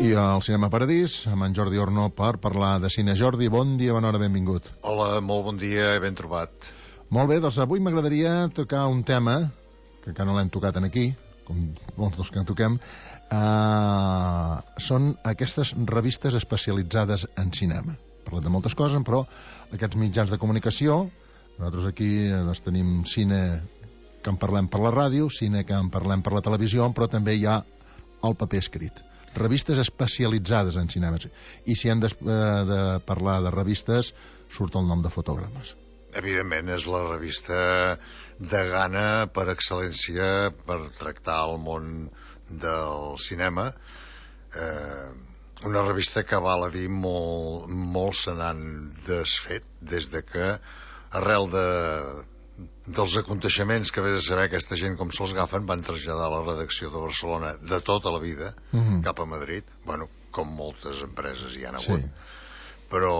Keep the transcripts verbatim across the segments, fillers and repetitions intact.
I al Cinema Paradís, amb en Jordi Orno, per parlar de cine. Jordi, bon dia, bona hora, benvingut. Hola, molt bon dia i ben trobat. Molt bé, doncs avui m'agradaria tocar un tema, que encara no l'hem tocat aquí, com molts dels que en toquem, uh, són aquestes revistes especialitzades en cinema. Parlem de moltes coses, però aquests mitjans de comunicació, nosaltres aquí doncs, tenim cine que en parlem per la ràdio, cine que en parlem per la televisió, però també hi ha el paper escrit. Revistes especialitzades en cinema. I si hem de, de parlar de revistes, surt el nom de Fotogrames. Evidentment, és la revista de gana per excel·lència per tractar el món del cinema. Eh, una revista que, val a dir, molt, molt se n'han desfet des de que, arrel de... dels aconteixements que vés a saber aquesta gent com se'ls agafen, van traslladar la redacció de Barcelona de tota la vida uh-huh. cap a Madrid, bueno, com moltes empreses hi han hagut, sí. Però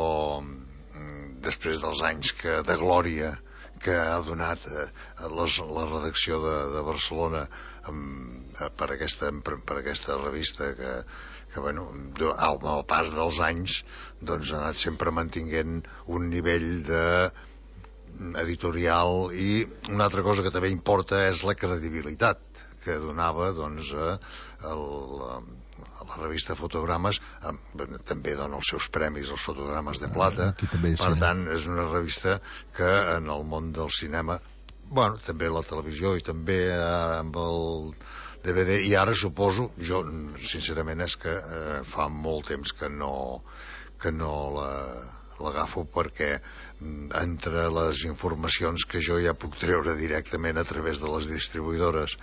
després dels anys que, de glòria que ha donat eh, les, la redacció de, de Barcelona amb, per, aquesta, per, per aquesta revista que, que bueno, al, al pas dels anys doncs ha anat sempre mantinguent un nivell de editorial, i una altra cosa que també importa és la credibilitat que donava doncs a, a, la, a la revista Fotogrames. A, també dona els seus premis als Fotogrames de Plata, ah, també, per sí. tant és una revista que en el món del cinema, bueno, també la televisió i també eh, amb el D V D, i ara suposo, jo sincerament és que eh, fa molt temps que no que no la l'agafo, perquè entre les informacions que jo ja puc treure directament a través de les distribuïdores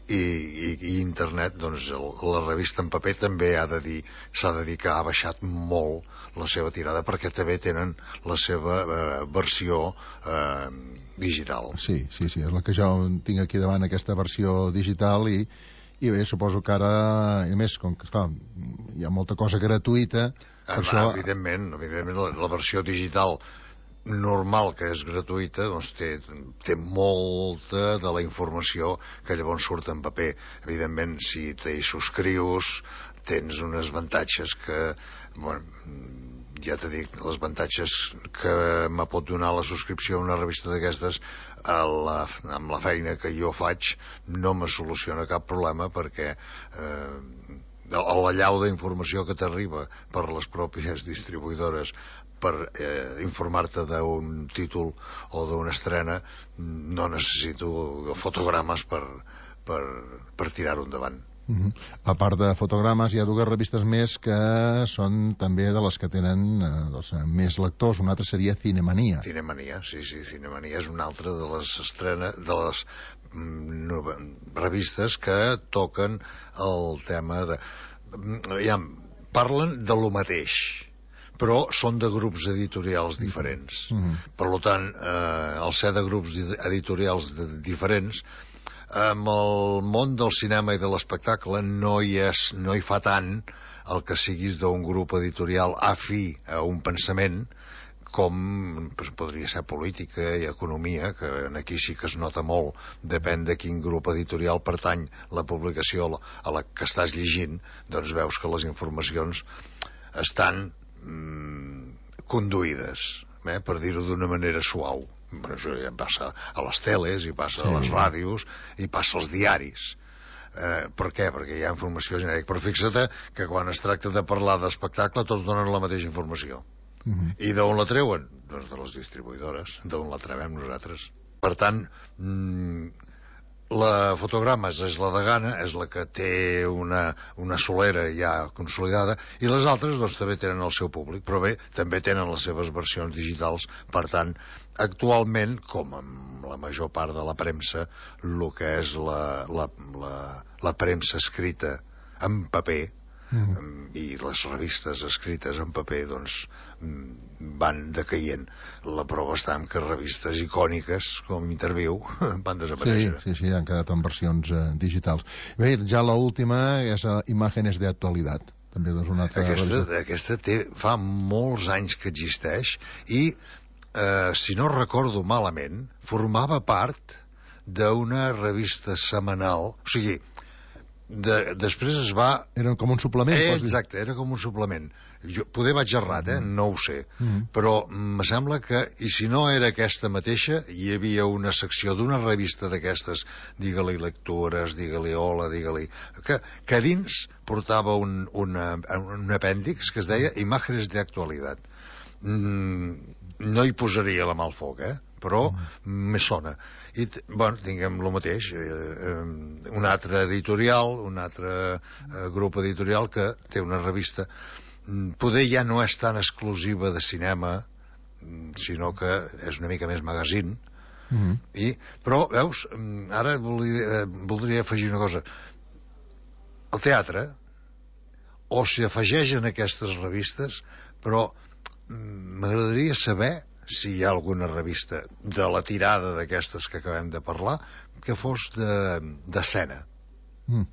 i, i, i internet, doncs el, la revista en paper també ha de dir, s'ha de dir que ha baixat molt la seva tirada, perquè també tenen la seva eh, versió eh, digital. Sí, sí, sí, és la que jo tinc aquí davant, aquesta versió digital, i i bé, suposo que ara, a més, com que esclar, hi ha molta cosa gratuïta, per ah, això... Evidentment, evidentment la, la versió digital normal, que és gratuïta, doncs té, té molta de la informació que llavors surt en paper. Evidentment, si t'hi subscrius, tens uns avantatges que, bueno, ja t'he dit, els avantatges que me pot donar la subscripció a una revista d'aquestes, la, amb la feina que jo faig, no me soluciona cap problema, perquè eh, l'allau d'informació que t'arriba per les pròpies distribuïdores per eh, informar-te d'un títol o d'una estrena, no necessito Fotogrames per, per, per tirar-ho endavant. Uh-huh. A part de Fotogrames, hi ha dues revistes més que són també de les que tenen eh, doncs, més lectors. Una altra seria Cinemania. Cinemania, sí, sí, Cinemania és una altra de les estrenes, de les mm, revistes que toquen el tema de... Ja, parlen de lo mateix, però són de grups editorials diferents. Uh-huh. Per tant, eh, al ser de grups editorials de, diferents, amb el món del cinema i de l'espectacle no hi és, no hi fa tant el que siguis d'un grup editorial afí a un pensament, com pues, podria ser política i economia, que aquí sí que es nota molt, depèn de quin grup editorial pertany la publicació a la que estàs llegint, doncs veus que les informacions estan mm, conduïdes, eh, per dir-ho d'una manera suau. Però això ja passa a les teles, i passa sí. a les ràdios, i passa als diaris. Eh, per què? Perquè hi ha informació genèrica. Però fixa't que quan es tracta de parlar d'espectacle tots donen la mateixa informació. Uh-huh. I d'on la treuen? Doncs de les distribuïdores, d'on la trebem nosaltres. Per tant, mmm, la Fotogrames és la de gana, és la que té una, una solera ja consolidada, i les altres doncs també tenen el seu públic, però bé, també tenen les seves versions digitals. Per tant, actualment, com amb la major part de la premsa, el que és la, la, la, la premsa escrita en paper, mm. i les revistes escrites en paper doncs van decaient. La prova està en que revistes icòniques com Interviu van desaparèixer. Sí, sí, sí, han quedat en versions eh, digitals. Bé, ja l'última és uh, Imágenes de Actualidad. També doncs una altra aquesta, aquesta té, fa molts anys que existeix, i eh, si no recordo malament, formava part d'una revista setmanal, o sigui, de, després es va... Era com un suplement. Eh, exacte, era com un suplement. Jo, poder vaig errat, eh? No ho sé. Mm. Però me sembla que, i si no era aquesta mateixa, hi havia una secció d'una revista d'aquestes, digue-li lectures, digue-li hola, digue-li... Que, que a dins portava un, una, un apèndix que es deia Imágenes de Actualidad. Mm, no hi posaria la mà al foc, eh? Però mm. me sona. I, bueno, tinguem el mateix, eh, eh, un altre editorial, un altre eh, grup editorial que té una revista, poder ja no és tan exclusiva de cinema, sinó que és una mica més magazine, mm-hmm. i, però, veus, ara voldria, voldria afegir una cosa. El teatre, o s'hi afegeixen aquestes revistes, però m'agradaria saber si hi ha alguna revista de la tirada d'aquestes que acabem de parlar que fos d'escena. De, mm.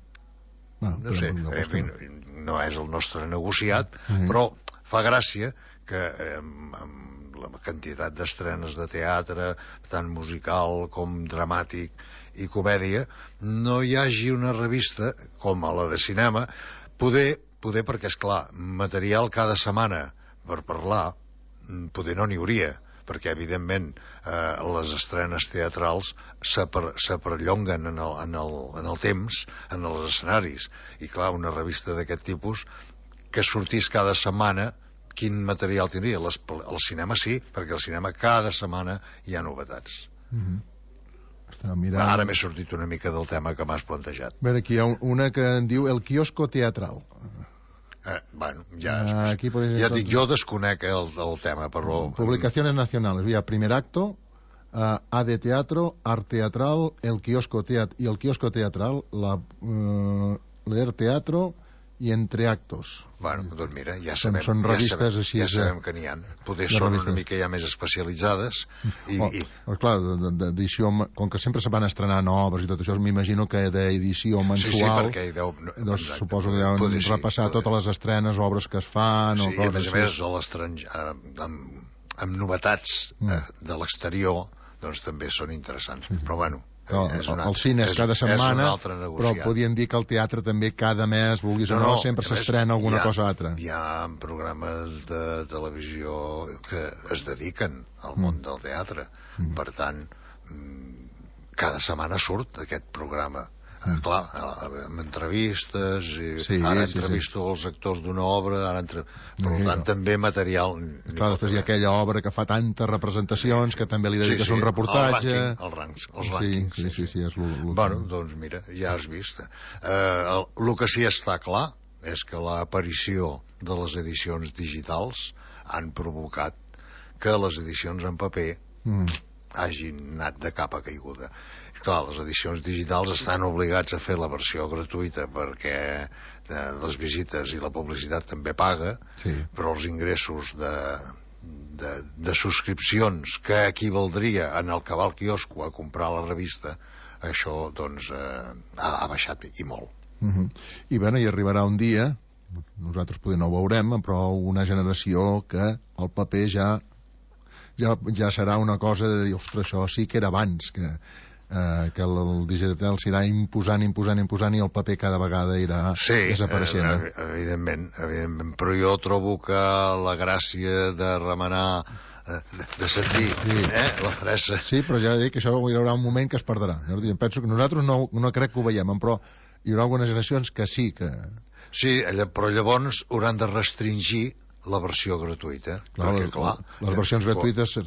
bueno, no sé, no, eh, no, no és el nostre negociat, mm. però fa gràcia que eh, amb la quantitat d'estrenes de teatre, tant musical com dramàtic i comèdia, no hi hagi una revista com a la de cinema, poder, poder perquè, és clar, material cada setmana per parlar, poder no n'hi hauria, perquè, evidentment, eh, les estrenes teatrals s'aperllonguen en, el, en, el, en el temps, en els escenaris. I, clar, una revista d'aquest tipus que sortís cada setmana, quin material tindria? Les, el cinema sí, perquè al cinema cada setmana hi ha novetats. Mm-hmm. Mirant... Ara m'he sortit una mica del tema que m'has plantejat. A veure, aquí hi ha una que en diu El quiosco teatral. Eh, bueno, ja, ah, aquí ja dic, jo desconec el, el tema, però... Publicaciones nacionales, vía primer acto, uh, A de teatro, art teatral, el quiosco teat y el quiosco teatral, la, uh, leer teatro i entre actos. Bueno, doncs mira, ja sabem, són revistes ja sabem, així, ja sabem que n'hi ha. Poder són revistes. Una mica ja més especialitzades. I, oh, i... Oh, clar, d'edició, com que sempre se van estrenar noves i tot això, m'imagino que d'edició mensual, sí, sí, perquè deu... doncs, suposo que deuen poder, repassar sí, poder. Totes les estrenes, obres que es fan... Sí, o i a més a més, a l'estranger, amb, amb novetats mm. de, de l'exterior, doncs també són interessants. Mm. Però bueno... El, una, el cine és cada setmana, però podien dir que el teatre també cada mes, vulguis no, o no, no sempre s'estrena alguna ha, cosa altra. Hi ha programes de televisió que es dediquen al mm. món del teatre. Mm. Per tant, cada setmana surt aquest programa. Mm. Clar, amb entrevistes, i sí, ara entrevisto sí, sí. els actors d'una obra, ara entre... per sí, tant, no. també material... Clar, després hi ha aquella obra que fa tantes representacions que també li dediques sí, sí. un reportatge... El rànquing, el ranks, els rànquings. Sí, sí, sí, sí, és l'últim. Bueno, doncs mira, ja has vist. Eh, el, el que sí està clar és que l'aparició de les edicions digitals han provocat que les edicions en paper mm. hagin anat de capa caiguda. Clar, les edicions digitals estan obligats a fer la versió gratuïta perquè eh, les visites i la publicitat també paga, sí. però els ingressos de, de, de subscripcions que equivaldria en el que va al quiosco a comprar la revista, això doncs eh, ha, ha baixat i molt. Uh-huh. I bueno, hi arribarà un dia, nosaltres potser no ho veurem, però una generació que el paper ja ja, ja serà una cosa de dir, ostres, això sí que era abans, que Uh, que el, el digital s'irà imposant, imposant, imposant i el paper cada vegada irà sí, desapareixent. Sí, eh, evidentment, evidentment, però jo trobo que la gràcia de remenar, eh, de, de sentir sí. eh, la fressa... Sí, però ja dic que això hi haurà un moment que es perdrà. Jo penso que nosaltres no, no crec que ho veiem, però hi haurà algunes generacions que sí que... Sí, però llavors hauran de restringir la versió gratuïta. Clar, perquè, clar les eh, versions gratuïtes...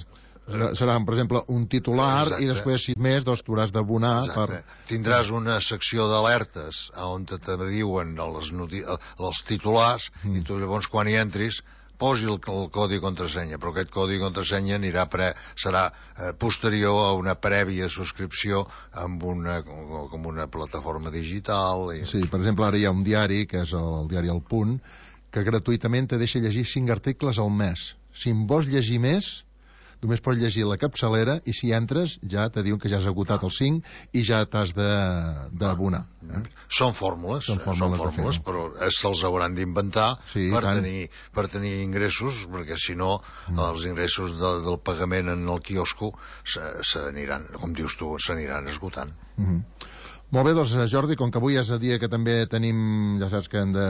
seran, per exemple, un titular Exacte. I després, si més, doncs tu hauràs d'abonar per... Tindràs una secció d'alertes on te, te diuen els, noti... els titulars mm. i tu llavors quan hi entris posi el, el codi contrasenya, però aquest codi contrasenya anirà pre... serà eh, posterior a una prèvia subscripció amb una, com una plataforma digital i... Sí, per exemple, ara hi ha un diari que és el, el diari El Punt que gratuïtament te deixa llegir cinc articles al mes. Si en vols llegir més només pots llegir la capçalera i si entres ja te diuen que ja has agotat els cinc i ja t'has d'abonar. Eh? Són fórmules, són fórmules, són fórmules però se'ls hauran d'inventar sí, per, tenir, per tenir ingressos, perquè si no mm. els ingressos de, del pagament en el quiosco s'aniran, com dius tu, s'aniran esgotant. Mm -hmm. Molt bé, doncs, Jordi, com que avui és el dia que també tenim, ja saps que hem de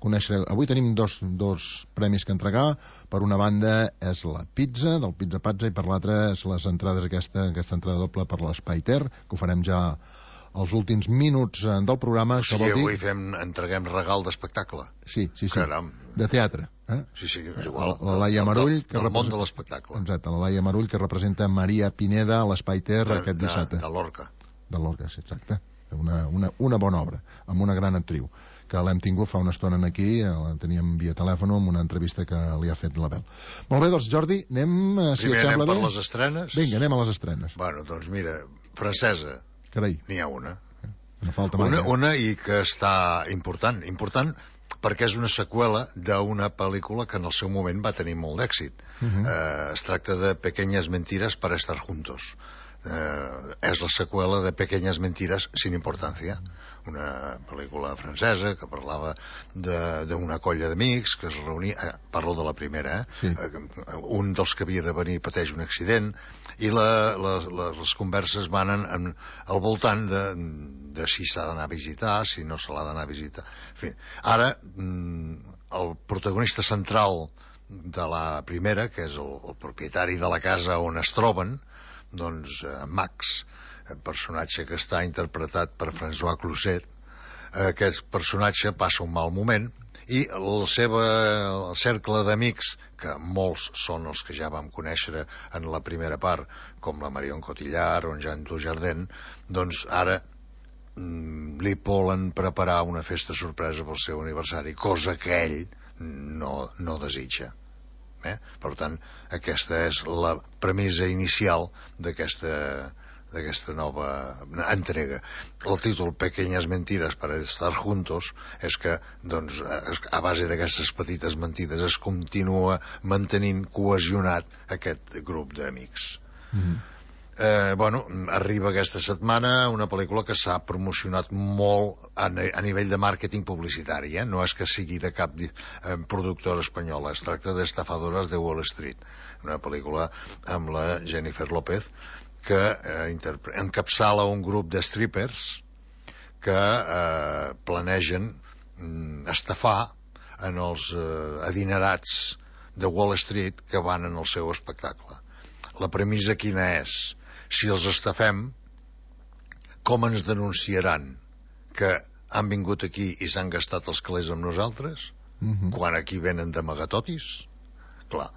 conèixer... Avui tenim dos, dos premis que entregar. Per una banda és la pizza, del Pizza Pazza, i per l'altra és les entrades, aquesta, aquesta entrada doble per l'Espai Ter, que ho farem ja els últims minuts del programa. O sigui, avui fem, entreguem regal d'espectacle. Sí, sí, sí. Caram. De teatre. Eh? Sí, sí, és igual. La Laia Marull, que del món de l'espectacle. Exacte, la Laia Marull, que representa Maria Pineda a l'Espai Ter aquest dissabte. De, de l'Orca. De l'Orca, sí, exacte. Una, una, una bona obra, amb una gran actriu, que l'hem tingut fa una estona aquí, la teníem via telèfon amb una entrevista que li ha fet l'Abel. Molt bé, doncs, Jordi, anem, si Primer et sembla anem per bé... les estrenes. Vinga, anem a les estrenes. Bueno, doncs mira, francesa. Carai. N'hi ha una. No falta mai. Una, una i que està important. Important perquè és una seqüela d'una pel·lícula que en el seu moment va tenir molt d'èxit. Uh -huh. eh, es tracta de Pequeñas mentiras para estar juntos. Eh, és la seqüela de Pequeñas mentiras sin importancia, una pel·lícula francesa que parlava d'una colla d'amics que es reunia, eh, parlo de la primera, eh? Sí. Eh, un dels que havia de venir pateix un accident i la, la, la, les converses van en, en, al voltant de, de si s'ha d'anar a visitar, si no se l'ha d'anar a visitar, en fi. Ara el protagonista central de la primera, que és el, el propietari de la casa on es troben, doncs eh, Max, personatge que està interpretat per François Cluzet, aquest personatge passa un mal moment i el seu el cercle d'amics, que molts són els que ja vam conèixer en la primera part, com la Marion Cotillard o en Jean Dujardin, doncs ara mm, li volen preparar una festa sorpresa pel seu aniversari, cosa que ell no, no desitja. Eh? Per tant, aquesta és la premissa inicial d'aquesta d'aquesta nova entrega. El títol Pequeñas mentiras para estar juntos és que, doncs, a base d'aquestes petites mentides es continua mantenint cohesionat aquest grup d'amics. Mm-hmm. Eh, bueno, arriba aquesta setmana una pel·lícula que s'ha promocionat molt a, a nivell de màrqueting publicitari, eh? No és que sigui de cap eh, productora espanyola, es tracta d'Estafadores de Wall Street, una pel·lícula amb la Jennifer López que eh, encapçala un grup de strippers que eh, planegen mm, estafar en els eh, adinerats de Wall Street que van en el seu espectacle. La premissa quina és? Si els estafem, com ens denunciaran que han vingut aquí i s'han gastat els calés amb nosaltres? Mm-hmm. Quan aquí venen d'amagatotis? Clar.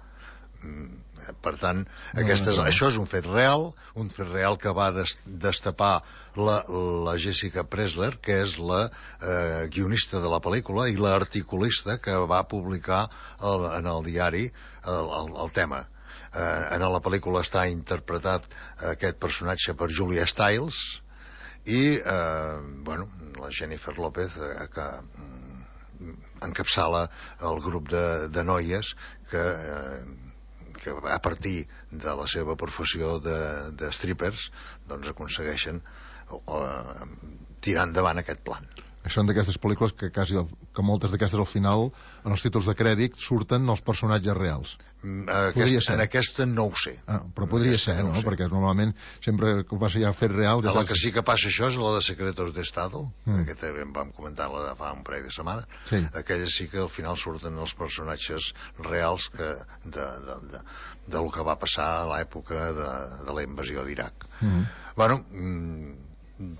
Per tant, aquesta és, això és un fet real, un fet real que va destapar la, la Jessica Pressler, que és la eh, guionista de la pel·lícula i l'articulista que va publicar el, en el diari el, el, el tema. Eh, en la pel·lícula està interpretat aquest personatge per Julia Stiles i eh, bueno, la Jennifer López eh, que mm, encapçala el grup de, de noies que, eh, que a partir de la seva professió de, de strippers doncs aconsegueixen eh, tirar endavant aquest plan. Són d'aquestes pel·lícules que quasi que moltes d'aquestes al final en els títols de crèdit surten els personatges reals. Aquest, en aquesta no ho sé. Ah, però podria ser, no? no? Perquè normalment sempre que passa ja fet real... Ja la que sí que passa això és la de Secretos d'Estado, mm. que també vam comentar-la fa un parell de setmanes. Sí. Aquella sí que al final surten els personatges reals que de, de, de, de lo que va passar a l'època de, de la invasió d'Iraq. Mm. Bueno... Mm,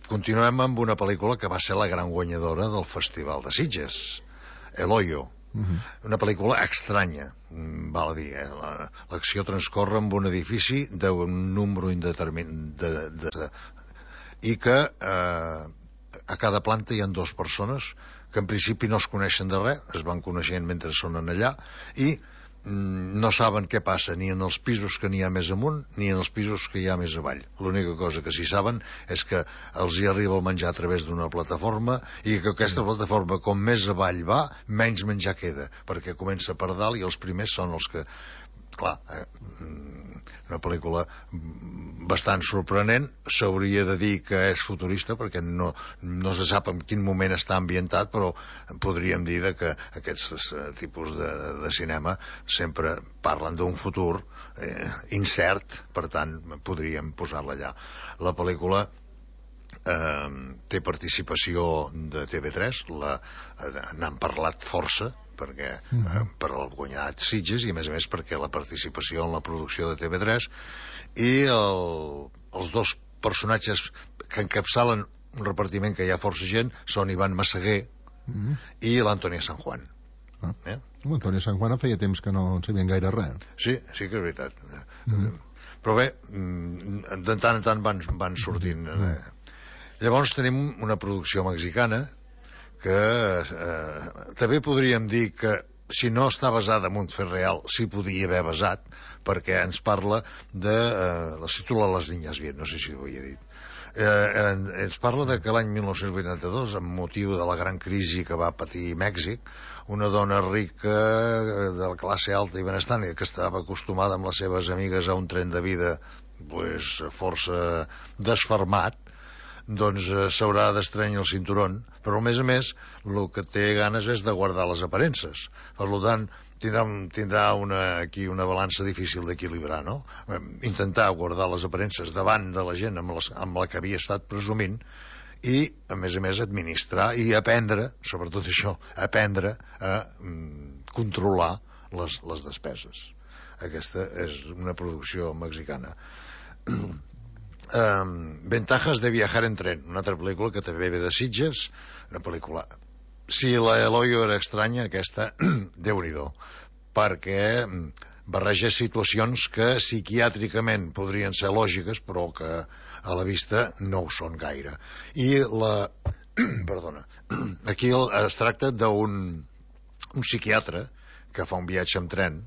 continuem amb una pel·lícula que va ser la gran guanyadora del Festival de Sitges, El Hoyo. Uh-huh. Una pel·lícula estranya, val a dir, eh? L'acció transcorre en un edifici d'un número indeterminat de, de, de, i que eh, a cada planta hi ha dues persones que en principi no es coneixen de res, es van coneixent mentre són allà i no saben què passa ni en els pisos que n'hi ha més amunt ni en els pisos que hi ha més avall. L'única cosa que sí saben és que els hi arriba el menjar a través d'una plataforma i que aquesta plataforma com més avall va menys menjar queda, perquè comença per dalt i els primers són els que, clar, eh, una pel·lícula bastant sorprenent. S'hauria de dir que és futurista perquè no, no se sap en quin moment està ambientat, però podríem dir que aquests tipus de, de cinema sempre parlen d'un futur eh, incert, per tant podríem posar-la allà. La pel·lícula eh, té participació de T V tres, la, eh, n'han parlat força, perquè eh, per el guanyat Sitges, i a més a més perquè la participació en la producció de T V tres, i el, els dos personatges que encapçalen un repartiment que hi ha força gent són Ivan Massaguer mm. i l'Antònia San Juan. Ah. Eh? L'Antònia San Juan feia temps que no en sabien gaire res. Sí, sí que és veritat. Mm. Però bé, de tant en tant van, van sortint. Mm. Llavors tenim una producció mexicana que eh, també podríem dir que si no està basada en un fet real, s'hi podia haver basat, perquè ens parla de... Eh, la titula Les niñas bien, no sé si ho havia dit. Eh, ens parla de que l'any mil nou-cents vuitanta-dos, amb motiu de la gran crisi que va patir Mèxic, una dona rica de la classe alta i benestant, que estava acostumada amb les seves amigues a un tren de vida pues, força desfermat, doncs eh, s'haurà d'estrenyar el cinturón, però a més a més el que té ganes és de guardar les aparences. Per tant, tindrà, tindrà una, aquí una balança difícil d'equilibrar, no? Intentar guardar les aparences davant de la gent amb, les, amb la que havia estat presumint, i a més a més administrar i aprendre, sobretot això, aprendre a mm, controlar les, les despeses. Aquesta és una producció mexicana. Um, Ventajas de viajar en tren, una altra pel·lícula que també ve de Sitges, una pel·lícula, si la Eloyo era estranya, aquesta Déu-n'hi-do, perquè barreja situacions que psiquiàtricament podrien ser lògiques, però que a la vista no ho són gaire. I la perdona, aquí es tracta d'un un psiquiatre que fa un viatge en tren,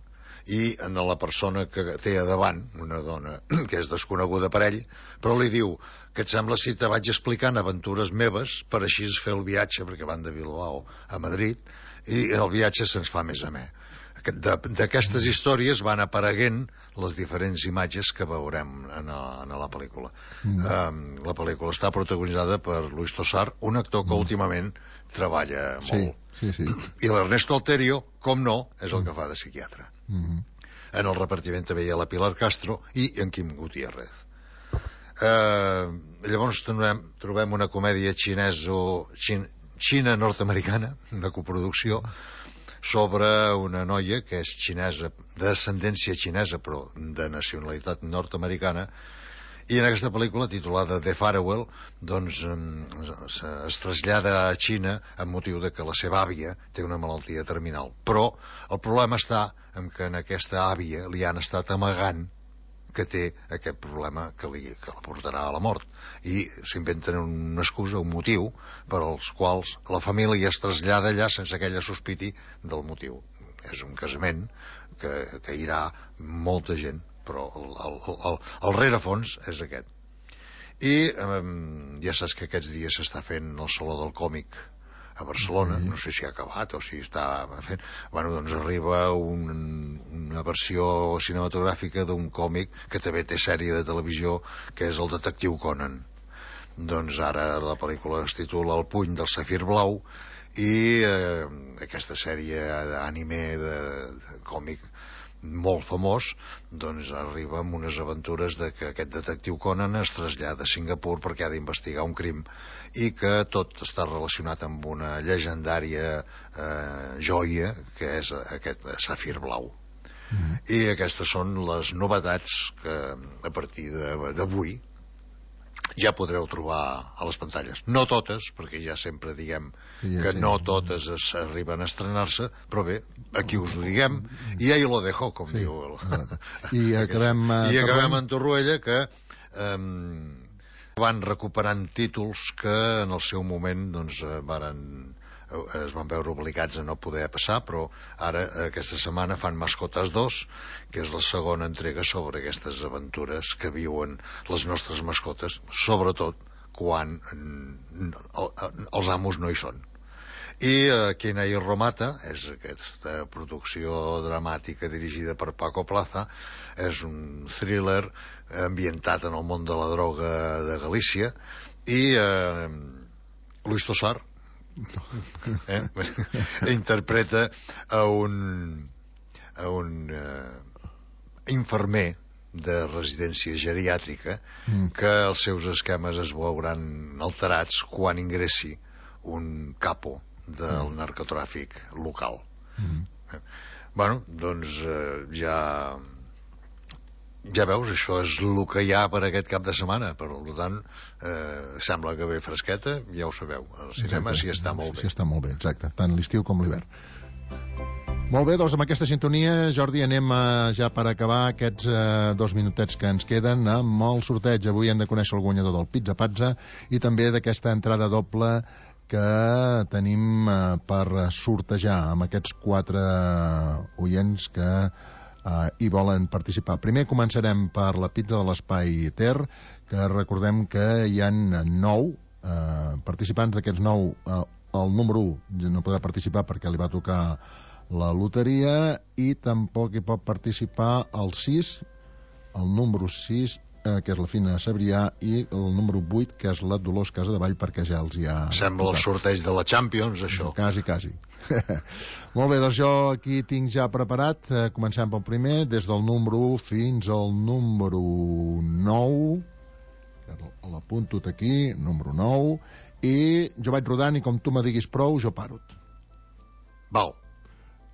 i en la persona que té a davant, una dona que és desconeguda per ell, però li diu que et sembla si te vaig explicant aventures meves per així fer el viatge, perquè van de Bilbao a Madrid, i el viatge se'ns fa més amè. D'aquestes històries van apareguent les diferents imatges que veurem en, a, en la pel·lícula. Mm. Um, la pel·lícula està protagonitzada per Luis Tosar, un actor que mm. últimament treballa molt. Sí, sí, sí. I l'Ernesto Alterio, com no, és el que fa de psiquiatre. Mm-hmm. En el repartiment també hi ha la Pilar Castro i en Quim Gutiérrez. Eh, llavors trobem, trobem una comèdia xineso, xin, xina-nord-americana, una coproducció, sobre una noia que és xinesa, de descendència xinesa, però de nacionalitat nord-americana, i en aquesta pel·lícula, titulada The Farewell, doncs es, es trasllada a Xina amb motiu de que la seva àvia té una malaltia terminal. Però el problema està en que en aquesta àvia li han estat amagant que té aquest problema que, li, que la portarà a la mort. I s'inventen una excusa, un motiu, per als quals la família es trasllada allà sense que ella sospiti del motiu. És un casament que, que irà molta gent, però el, el, el, el rerefons és aquest. I eh, ja saps que aquests dies s'està fent el Saló del Còmic a Barcelona, no sé si ha acabat o si està fent. Bueno, doncs arriba un, una versió cinematogràfica d'un còmic que també té sèrie de televisió, que és el Detectiu Conan. Doncs ara la pel·lícula es titula El puny del safir blau, i eh, aquesta sèrie d'anime de, de còmic molt famós, doncs arriba amb unes aventures de que aquest detectiu Conan es trasllada a Singapur perquè ha d'investigar un crim, i que tot està relacionat amb una llegendària eh, joia que és aquest safir blau. Mm. I aquestes són les novetats que a partir d'avui ja podreu trobar a les pantalles. No totes, perquè ja sempre diguem ja que sí. No totes es arriben a estrenar-se, però bé, aquí us ho diguem, i ahí lo dejo, com sí. Diu el... I acabem, I acabem en Torroella, que eh, van recuperant títols que en el seu moment doncs, varen, es van veure obligats a no poder passar, però ara aquesta setmana fan Mascotes dos, que és la segona entrega sobre aquestes aventures que viuen les nostres mascotes, sobretot quan els amos no hi són. I uh, Quina i Romata és aquesta producció dramàtica dirigida per Paco Plaza, és un thriller ambientat en el món de la droga de Galícia, i uh, Luis Tosar eh? interpreta a un a un uh, infermer de residència geriàtrica, Mm. que els seus esquemes es veuran alterats quan ingressi un capo del narcotràfic local. Mm. Eh, Bueno, doncs eh, ja... Ja veus, això és el que hi ha per aquest cap de setmana. Per tant, eh, sembla que ve fresqueta, ja ho sabeu. Al cinema Exacte. s'hi està molt bé. S'hi està molt bé, exacte. Tant l'estiu com l'hivern. Molt bé, doncs amb aquesta sintonia, Jordi, anem a, ja per acabar aquests eh, dos minutets que ens queden amb el sorteig. Avui hem de conèixer el guanyador del Pizza Pazza i també d'aquesta entrada doble que tenim eh, per sortejar amb aquests quatre oients que Uh, i volen participar. Primer començarem per la pizza de l'Espai Ter, que recordem que hi ha nou uh, participants. D'aquests nou, uh, el número u no podrà participar perquè li va tocar la loteria, i tampoc hi pot participar el sis, el número sis, uh, que és la Fina Sabrià, i el número vuit, que és la Dolors Casadevall, perquè ja els hi ha Sembla el tocat. sorteig de la Champions, això. Quasi, quasi. Molt bé, doncs jo aquí tinc ja preparat. Eh, comencem pel primer, des del número u fins al número nou. L'apunto aquí, número nou. I jo vaig rodant i com tu me diguis prou, jo paro. Val.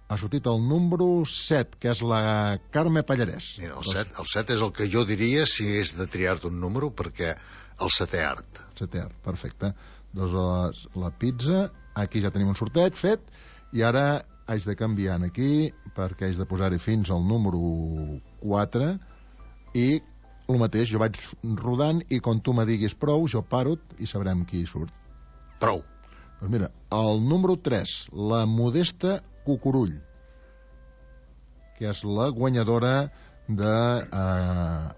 Ha sortit el número set, que és la Carme Pallarès. Mira, el set, el set és el que jo diria si hagués de triar-te un número, perquè el setè art. Setè art, perfecte. Doncs la, la pizza, aquí ja tenim un sorteig fet, i ara haig de canviar aquí perquè haig de posar-hi fins al número quatre, i el mateix, jo vaig rodant i quan tu me diguis prou, jo paro i sabrem qui surt. Prou. Doncs mira, el número tres, la Modesta Cucurull, que és la guanyadora de eh,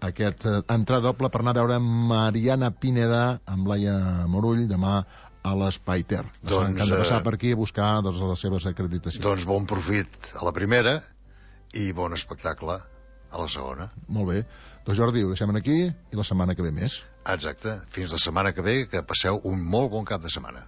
aquest eh, entrada doble per anar a veure Mariana Pineda amb Laia Morull demà a l'Espai Ter. Doncs, que han de passar eh, per aquí a buscar doncs, les seves acreditacions. Doncs bon profit a la primera i bon espectacle a la segona. Molt bé. Doncs Jordi, ho deixem aquí i la setmana que ve més. Exacte. Fins la setmana que ve, que passeu un molt bon cap de setmana.